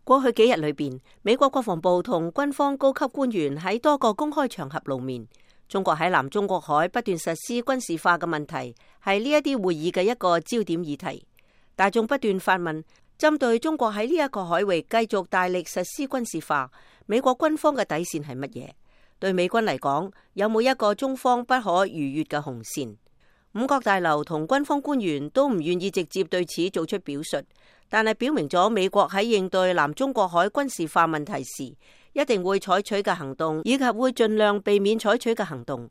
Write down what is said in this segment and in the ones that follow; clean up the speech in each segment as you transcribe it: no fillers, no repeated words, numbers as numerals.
過去幾日裏邊，美國國防部同軍方高級官員喺多個公開場合露面。中國喺南中國海不斷實施軍事化嘅問題，係呢一啲會議嘅一個焦點議題。大眾不斷發問，針對中國喺呢一個海域繼續大力實施軍事化，美國軍方嘅底線係乜嘢？對美軍嚟講，有冇一個中方不可逾越嘅紅線？五角大樓同軍方官員都唔願意直接對此做出表述，但係表明咗美國喺應對南中國海軍事化問題時，一定會採取嘅行動，以及會盡量避免採取嘅行動。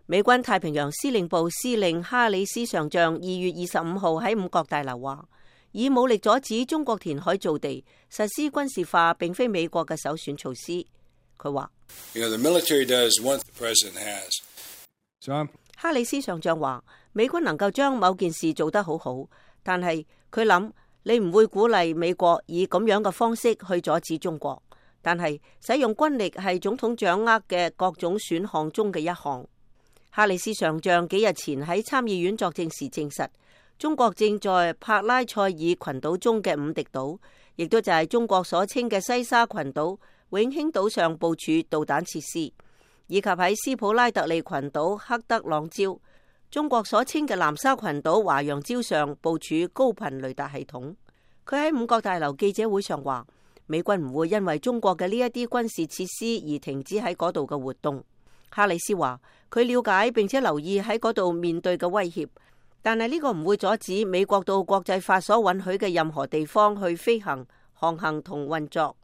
美軍太平洋司令部司令哈里斯上將2月25號喺五角大樓話，以武力阻止中國填海造地、實施軍事化，並非美國嘅首選措施。佢話，哈里斯上將話，美軍能夠將某件事做得好好，但係佢諗，你唔會鼓勵美國以咁樣嘅方式去阻止中國，但係使用軍力係總統掌握嘅各種選項中嘅一項。哈里斯上將幾日前喺參議院作證時證實，中國正在帕拉塞爾群島中嘅五敵島，亦都就係中國所稱嘅西沙群島、永興島上部署導彈設施，以及喺斯普拉特利群島克德朗礁、中國所稱嘅南沙群島華陽礁上部署高頻雷達系統。佢喺五角大樓記者會上話，美軍唔會因為中國嘅呢一啲軍事設施而停止喺嗰度嘅活動。哈里斯話，佢了解並且留意喺嗰度面對嘅威脅，但係呢個唔會阻止美國到國際法所允許嘅任何地方去飛行、航行同運作。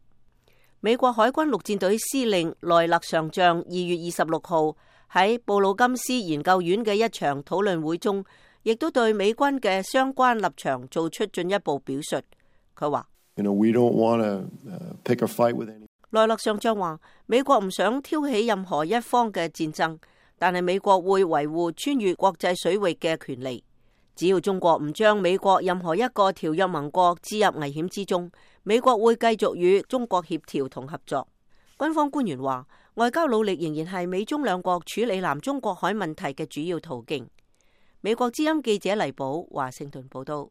美國海軍陸戰隊司令萊勒上將2月26號喺布魯金斯研究院嘅一場討論會中，亦都對美軍嘅相關立場做出進一步表述。佢話，萊勒上將話，美國唔想挑起任何一方嘅戰爭，但係美國會維護穿越國際水域嘅權利。只要中國唔將美國任何一個條約盟國置入危險之中，美國會繼續與中國協調同合作。軍方官員話，外交努力仍然係美中兩國處理南中國海問題嘅主要途徑。美國之音記者黎寶華盛頓報道。